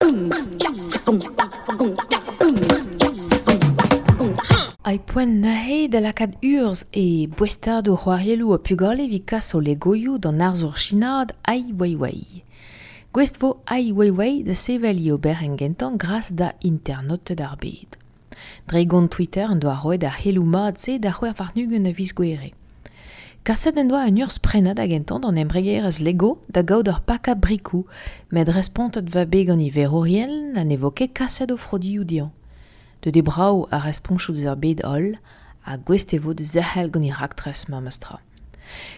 Ai poent neuze da lakaat urzh e boestadoù c'hoarielloù ha pugale evit kas o legoioù d'an arzour sinaat Ai Weiwei. Gouest vo Ai Weiwei da sevel e oberenn gentañ gras da internaoted ar bed. Dre gont Twitter en doa roet ar c'heloù mat-se da 26 a viz Gouere. Kaset en doa un urzh prenañ da gentañ d'an embregerezh Lego da gaout ur pakad brikoù, met respontet va bet gant e verourien ha ne vo ket kaset o frodioù dezhañ. Deuet eo brav ar respontoù eus ar bed-holl ha gouest e vo da zerc'hel gant e raktres memestra.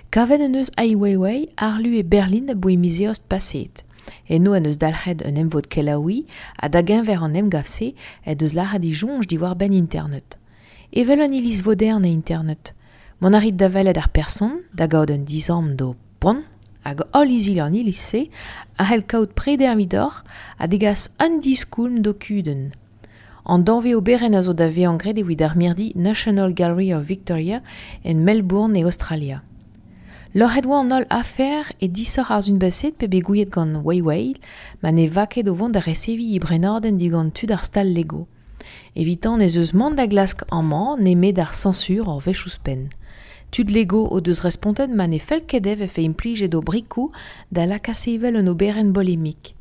Kavet en deus Ai Weiwei arlu e Berlin aboe miz Eost paseet. Eno en deus dalc'het un emvod kelaouiñ ha da-geñver an emgav-se en deus lâret e soñj diwar-benn Internet. Evel un iliz vodern e Internet. Mont a rit da welet ar person, da gaout un dizamm d'ho poan, hag holl izili an iliz-se a c'hell kaout preder evidoc'h ha degas un diskoulm d'ho kudenn. An danvez oberenn a zo da vezañ graet evit ar mirdi National Gallery of Victoria en Melbourne e Aostralia. Loc'het oa an holl afer e disoc'h ar sun-baset pe bet gouiet gant Weiwei ma ne va ket o vont da reseviñ e brenadenn digant tud ar stal Lego. Evitañ ez eus mont da glask amañ nemet ar sañsur ur wech ouzhpenn. Tud Lego o deus respontet ma ne fell ket dezhe vefe implijet o brikoù da lakaat sevel un oberenn bolemik.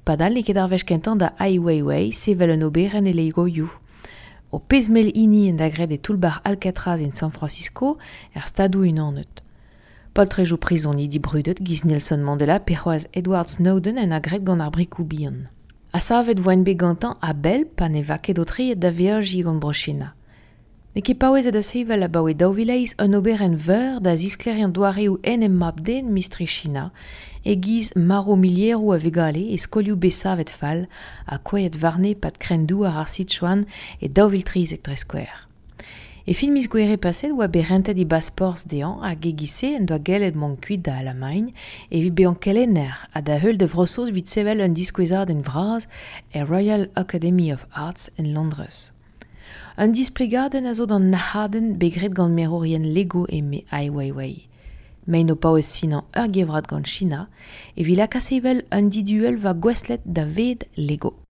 Padal n'eo ket ar wech kentañ da Ai Weiwei sevel un oberenn e Legoioù. O pezh mell hini en da graet e toull-bac'h Alcatraz en San Francisco er Stadoù-Unanet. Poltrejoù prizonidi brudet giz Nelson Mandela pe c'hoazh Edward Snowden en a graet gant ar brikoù bihan. Ha savet voent bet gantañ a-bell pa ne va ket aotreet da veajiñ gant Bro-China. N'eo ket paouezet da sevel abaoe 2008 un oberenn veur da zisklêriañ doareoù enep mab-den mistri China, e-giz marv milieroù a vugale e skolioù bet savet fall ha kouezhet warne 'pad kren-douar ar Sichuan e 2013 dre skouer. E fin miz Gouere paset oa bet rentet e basporzh dezhañ hag e-giz-se en doa gellet mont kuit da Alamagn evit bezañ kelenner ha da heul da Vro-Saoz evit sevel un diskouezadenn vras er Royal Academy of Arts en Londrez. Un displegadenn a zo d'an nac'hadenn bet graet gant merourien Lego eme Ai Weiwei. Mein o paouez sinañ ur gevrat gant China evit lakaat sevel un diduellva gouestlet da ved Lego.